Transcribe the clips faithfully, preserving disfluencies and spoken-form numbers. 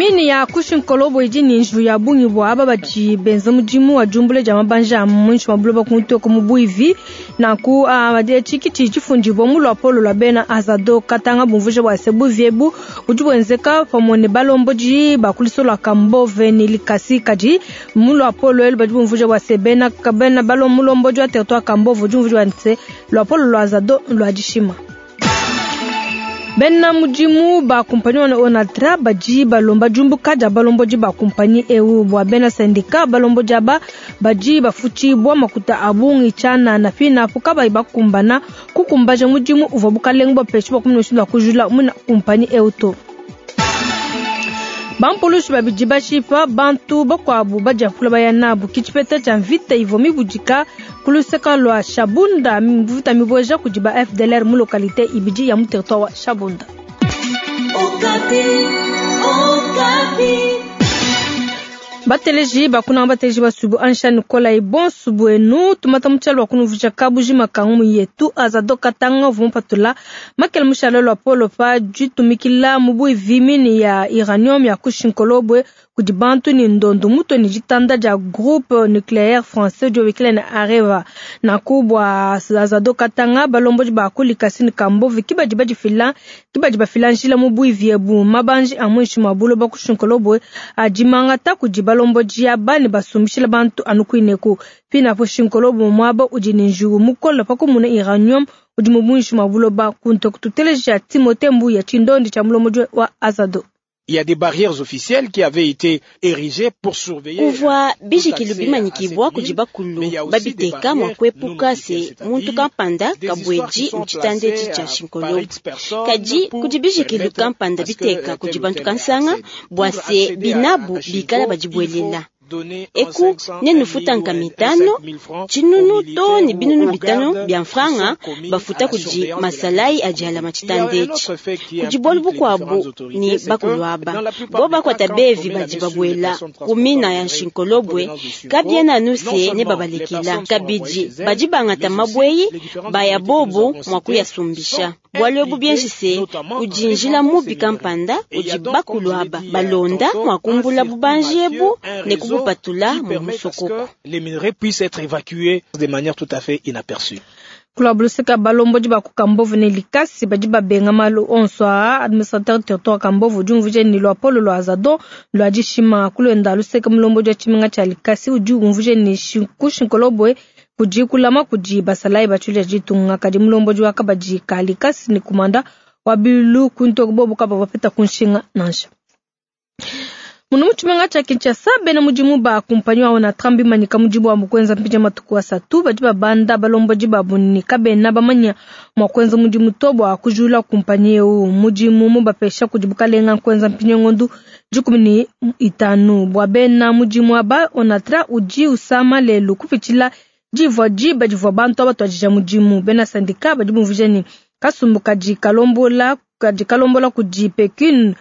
Mine ya ku Shinkolobwe idi ne njiwu ya bungi bua aba badi benza mudimu wa diumbula dia mabanji a muinshi mua buloba ku ntoko mu buivi. Nanku etshi ki tshidi tshifundibua mu luapolo lua bena Azado Katanga bumvuija bua se buivi ebu budi buenzeka pamue ne balombodi ba ku luso lua Kambove ne Likasi. Kadi mu luapolo elu badi bumvuija bua se bena bena mulombodi wa territoire Kambove udi umvuija bua se luapolo lua Azado lua dishima. Bena mudimu ba kumpanyi wa Onatra badi balomba diumbuka dia balombodi ba kumpanyi eu bua bena syndicat balombodi aba badi bafutshibua makuta a bungi tshianana pinapo kabayi bakumbana kukumbaja mudimu uvua bukalenga bupesha bua kumona mushindu wa kujula muna kumpanyi eu to. Bampulushi babidi bashipa bantu bakuabu badiapula baya nabu ke tshipeta tshia mvita ivua mibudika ku luseka lua Shabunda, mvita mibueja kudi ba F D L R mu localité ibidi ya mu territoire wa Shabunda. Okapi, Okapi. Bateleji bakuna bateleji basubu ansha Nicolas bonsu bwenu tumata muchalo wa kunuvuja kabujima kangu yetu Azado Katanga vumpatula makele mushalo lwa polo pa jitumikila mubu vimini ya uranium ya ku Shinkolobwe kudi bantu ni ndondo muto ni jitanda ja groupe nucléaire français jo wikile na Areva na kubwa Azado Katanga balomboji ba kulikasi ni Kambove kibaji baji fila kibaji bafila njila mubu viebu mabanji amwishi mabulo ba ku Shinkolobwe ajimanga ta kudi balomboji ya bani basumbishila bantu anukuineku pina po Shinkolobwe mwaba udi ni njugu mukola pa kumuna uranium udi mubunshi mabulo ba kunto kututeleja Timothée Mbuya chindondi cha mulomoji wa Azado. Il y a des barrières officielles qui avaient été érigées pour surveiller. Kuvua bijikilu bimanyikibwa kudi bakulu babiteka mwa kuepuka se muntu kampanda kabweji mutshitanda etshi tshia Shinkolobwe. Kadi kudi bijikilu kampanda biteka kudi bantu kansanga bua se binabu bikala badibuelela. Eku nenufuta nka mitano, tshinunu to ne binunu bitano bia mfranga bafuta kudi masalai adi alama tshitanda etshi. Kudi bualu bukuabu ni bakulu aba. Bo bakuata bevi badi babuela ku mina ya Shinkolobwe, kabiena anu se ne babalekela. Kabidi badi bangata mabweyi baya bobo mwa kuyasumbisha. Bualu ebu bienji se kudi njila mubi kampanda udi bakulu aba balonda mwa kumbula bubanji ebu ne kubupatula mu musokoko. Les minerais puissent être évacués de manière tout à fait inaperçue. Kulabulusika balombodi ba ku Kambove ne Likasi badi babenga malu onso aa. Administrateur territoire Kambove udi umvuija ni luapolo lua Azado lua dishima kulwenda luseka mulombodi wa tshimenga tshia Likasi udi umvuija ni ku Shinkolobwe kudi kulama kudi basalayi batshulya ditunga. Kadi mulombodi wa kabadi ka Likasi ni kumanda wa bilu kunto bobo kaba bapeta kunshinga nansha. Munu mutshimenga tshia Kinshasa bena mudimu ba kumpanyi wa Onatra bimanyika mudimu wa mukwenza mpindia matuku asatu badi babanda balombodi babu ni kabena bamanya mwa kwenza mudimu to bua kujula kumpanyi eu mudimu mubapesha kudi bukalenga kwenza mpindia ngondu dikumi ni itanu bua bena mudimu aba Onatra udi usama lelu kupitshila divua diba divua bantu aba tuadija mudimu. Bena sandika badi bumvuija ni kasumbu kadi kalombola kadi kalombola kudi Pekun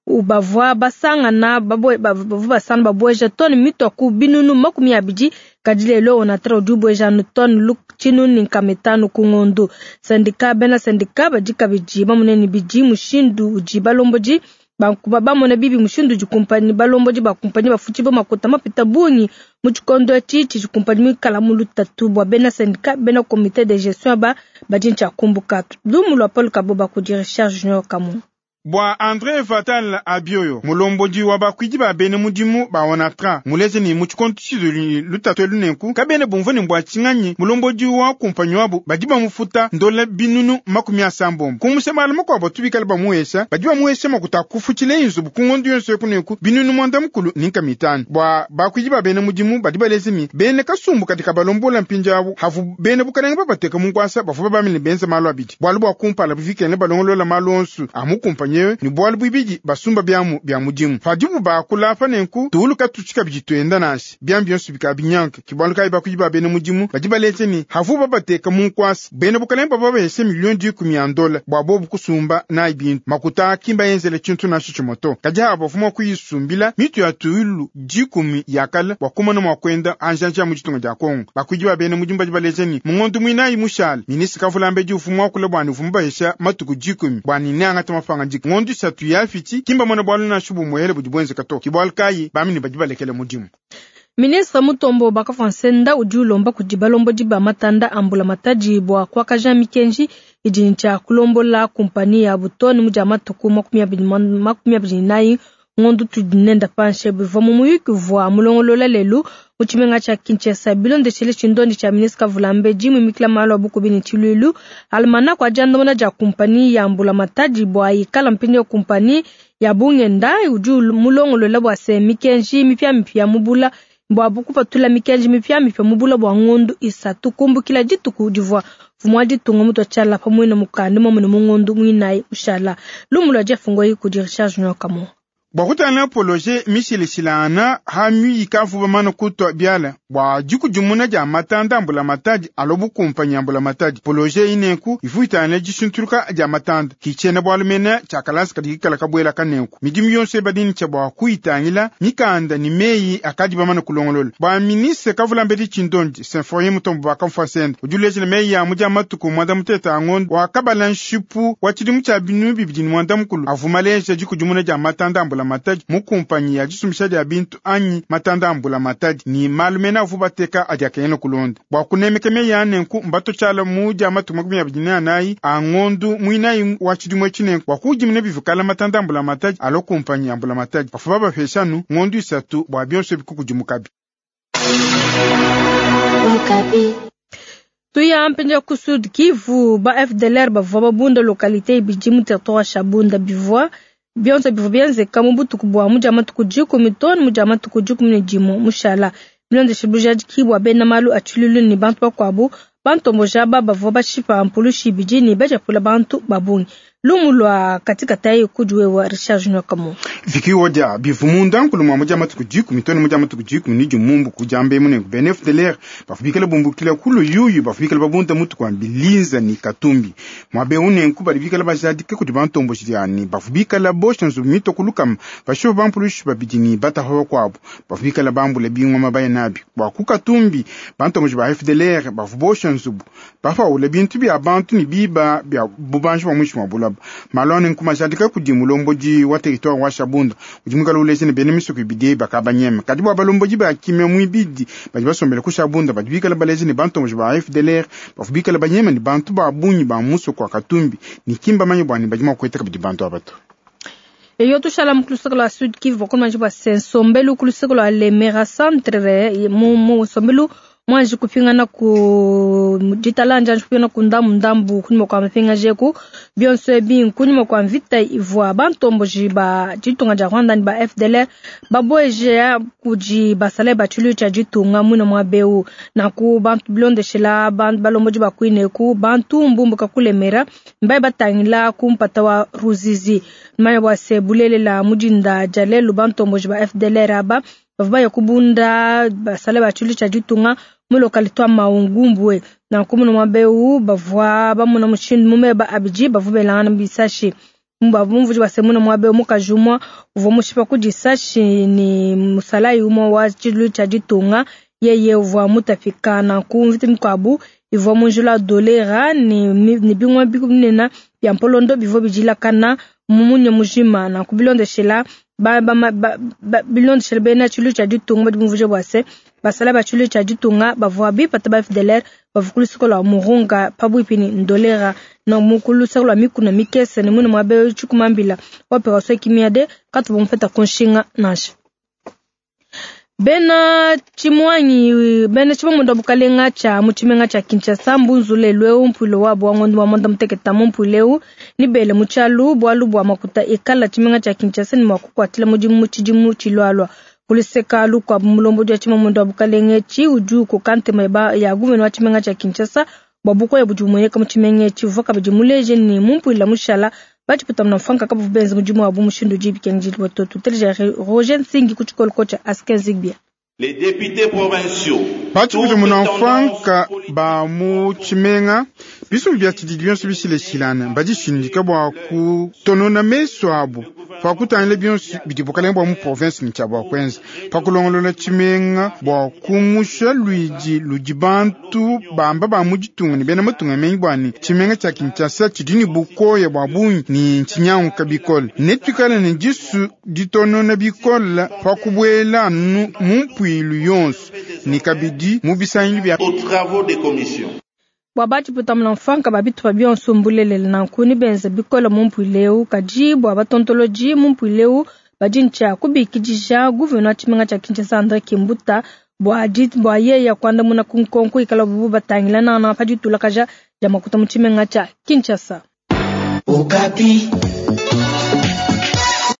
ubavua basangana babwe bavua basana babweja toni mitwa ku binunu makumi abidi kadi lelo Onatra udi ubweja anu toni tshinunu ni nkama itanu ku ngondo. Sandika bena sandika badi kabidi bamone bidi mushindu udi balombodi bankuba bamone bibi mushindu udi kumpanyi balombodi ba kumpanyi bafuti bo makuta mapita bungi mu tshikondo etshi tshidi kumpanyi mikala mu lutatu bua bena sandika bena comité de gestion ba badi ntshia kumbuka. Lumu lua Paul Kaboba kudi Richard Junior Kamu. Bwa André Vatal Abioyo, mulombodi wa bakwidi ba bene mudimu ba Onatra, muleze ni mu tshikondo tshizuli lutatu elu nenku, kabene bumvue ni mbwa tshinganyi, mulombodi wa kumpanyi wabu badi bamufuta ndola binunu makumi asambombo. Kumusha malu makuabu tubikale bamuhesha, badi bamuhesha makuta kufutshile inzubu ku ngondo yonso eku nenku, binunu mwanda mukulu ni nkama itanu. Bwa bakwidi ba bene mudimu badi baleze mi, bene kasumbu katika balombola mpindia abu, havu bene bukalenga babateka mu nkwasa, bavua babamine benza malu abidi. Bualu bua kumpala buvikene balongolola malu onso a mu kumpanyi ewe, ni bualu buibidi basumba byamu bya mudimu. Padibu bakula apa nenku, tuuluka tutshika bidi tuenda nansi. Byambi byonso bikabinyanka. Ki bualu kayi bakuyi ba bene mudimu, badi baleze ni havu babateka mu nkwasa. Bene bukalenga baba bahese miliyoni dikumi ya ndola, bua bobu kusumba nayi bintu. Makuta akimba yenzele tshintu nansha tshimoto. Kadi aba bavua mua kuyisumbila mitu ya tuilu dikumi ya kala, bua kumona mua kuenda anjanja mu ditunga dia Kongo. Bakuyi ba bene mudimu badi baleze ni mu ngondo muinayi mushale, ministre Kavulambedi uvua muakule bua ni uvua mubahesha matuku dikumi, bua ni neangate mapanga dikumi. Ngondu isatu yafiti kimba mona bwalu na shubu muhele budi bwenzeka to kibwalu kayi bamini badi balekele mudimu. Ministre Mutombo Bakafansenda udi ulomba kudi balombodi ba matanda ambula matadi bua kuakaja mikenji idi ntsha kulombola kumpani ya butoni mu dia matuku makumi abidi ne nayi ngondu tudi nenda panshe bivua mu muyuki uvua mulongolola lelu mu tshimenga tshia Kinshasa bilondeshele tshindondi tshia ministre Kavulambedi mumikila malu a bukubi ne tshiluilu almanako adiandamuna dia kumpani ya mbula matadi bua ikala mpindieu kumpani ya bungenda udi mulongolola bua se mikenji mipiamipia mubula bua bukupatula mikenji mipiamipia mubula bua ngondu isatu kumbukila dituku divua mfumu wa ditunga mutu atshiala pamue na mukanda momune mu ngondu muinayi ushala lumu lua diafungoyi kudi Richard Junior Kamo. Bua kutangila poloje mishilishilana ha miyika avuba mana kutwa biala bua dikudimuna dia matanda ambula matadi alo bukumpanyi ambula matadi poloje ineku ivu itangila dishintuluka dia matanda kichena bwalu mena tshiakalasa kadi kikala kabuela kanenku midimu yonso ebadini tshia bua kuitangila mikanda ni meyi akadi bamana kulongolola bua ministre Kavulambedi Tshindondi Symphorien Mutombo bakamfasenda udi ulejela meyi ya mudia matuku mwanda muteta angondo wakabala nshipu wa tshidimu tshia binu bibidi ni mwanda mukulu avuma leja dikudimuna dia matanda ambula matadi mukumpanyi ya disumbisha dia bintu anyi matanda ambula matadi ni malu mena avu bateka adi akengela kulonda bua kunemeka meyi anenku mbato tshiala mu dia matuku makumi abidi ne anayi angondu muinayi wa tshidimu etshi bua kudimuna bivukala matanda ambula matadi alo kumpanyi ambula matadi bafu babapeshanu ngondu isatu bua bionso bikukudimukabi. Tuya mpenja ku Sud Kivu ba F D L R bavua babunda localité ibidi mu territoire Shabunda bivua bionso bivua bienzeka mu butuku bua mu dia matuku dikumi too mu dia matuku dikumi ne dimue mushala bilondeshe bujadiki bua bena malu a tshiluilu ne bantu bakuabu bantomboja aba bavua bashipa mpulushi ibidi ne bajapula bantu ba bungi. Lumu lua katikatayi kudi wewa Richard Junior Kamo. Viki wodia bivumunda nkulu mwa mudia matuku dikumi too mudia matuku dikumi ni dimumbu kujambe mune bene F D L R bafubikela bumbukila kulu yuyu bafubikela babunda mutu kwa bilinza ni katumbi mwabe une nkuba bikala bajadike kudi bantomboji yani bafubikala bosha nzumito kulukam basho bampulushi babidi ni bataho kwabo bafubikala bambule bingoma mabaya nabi kwa kukatumbi bantomboji ba F D L R bafubosha nzubu bafaule bintu bya bantu ni biba bya bubanji bwa mwishi mwa bulaba malone nkumajadika kudi mulombodi wa territoire wa Shabunda udi mukala uleze ne bene misuku ibidi bakabanyema kadi bwa balomboji ba kimya muibidi badi basombela ku Shabunda badi bikala baleze ne bantu ba F D L R bafubikala banyema ne bantu ba bunyi ba muso kwa Katumbi ni kimba manyi bwani badi makweta kabidi bantu abatu. Eyo tushala muklusoko la Sud Kivu bakoma ba sensombelu kulusoko la Lemera centre mu mu sombelu mwanji kupingana ku ditalanja nji kupingana ku ndambu ndambu kunyuma kwa mapinga jeku bionso ebi kunyuma kwa mvita ivua bantomboji ba ditunga dia Rwanda ni ba F D L R baboeje kudi basale ba tshilu tshia ditunga mwina mwa beu na ku bantu bilondeshela bantu balomboji ba kuineku bantu mbumbuka kulemera mbaye batangila kumpata wa Ruzizi manya bwa se bulelela mudinda jalelu bantomboji ba F D L R aba bavua ya kubunda basale ba tshilu tshia ditunga mu localité wa Maungumbwe na kumuna mwabeu bavua bamuna mushindu mumeba abiji bavua belangana bisashi mbavumvuji basemuna mwabeu mukajumwa uvua mushipa kudisashi ni musalayi umwe wa tshilu tshia ditunga yeye uvua mutafika na kumvita mikuabu ivua munjula dolera ni, ni bingwa bikunena bya mpolondo bivua bijilakana mumunye mujima na kubilondeshela ba ba ba, ba bilondeshela bena tshilu tshia ditunga badi bumvuje bua se basala ba tshilu tshia ditunga bavua bipata ba F D L R bavua ku lua Murunga pabuipi ni ndolera na mukulu soko lua mikuna mikese ne mune mwabe tshikumambila operation kimiade katu bamufeta kunshinga nansha. Bena chimwanyi bena chimwa bukalenga cha muchimenga cha Kinshasa mbunzule lweu mpulo wa bwa ngondo wa monda muteketa mumpuleu ni bele muchalu bwalu bwa makuta ikala chimenga cha Kinshasa ni mwakukwatila mudimu chidimu chilwalwa kuliseka lukwa mulombo wa chimwa mondo bukalenga chi uju ku kante meba ya guveno wa chimenga cha Kinshasa babuko ya bujumuneka muchimenga chi vuka bijimuleje ni mumpula mushala bachiputa mnafanka kabu benzi mujimu wa bumushindu jibi kenjili watoto teleja Roger Nsingi kuchikolo kocha Asken Zigbia. Les députés provinciaux bachiputa mnafanka ba muchimenga bisu bya tshidi bionso bishileshilana badishindika bua kutonona meso abo Pakutangila bionso bidi bukalenge bwa mu province ne tshia bwa kwenza pakulongolola tshimenga bwa kumusha lwidi ludi bantu bamba ba mu ditunga ne bena matunga mengi bwa ne tshimenga tshia Kinshasa tshidi ne bukoya bwa bungi ne ntshinyanguka bikole ne tuikale ne disu ditonona bikole pakubwela anu mu mpuilu yonso ne kabidi mu bisangilu bia aux travaux des commissions. Bua batshiputamuna mfanka ba bitupa bionso mbulelele nanku ne benza bikole mu mpuilu eu, kadi bua batontolodi mu mpuilu eu badi ntshia kubikidisha gouverneur wa tshimenga tshia Kinshasa André Kimbuta bua bua yeya kuandamuna ku nkonko ikala bubu batangila nana pa ditulakaja dia makuta mu tshimenga tshia Kinshasa. Okapi.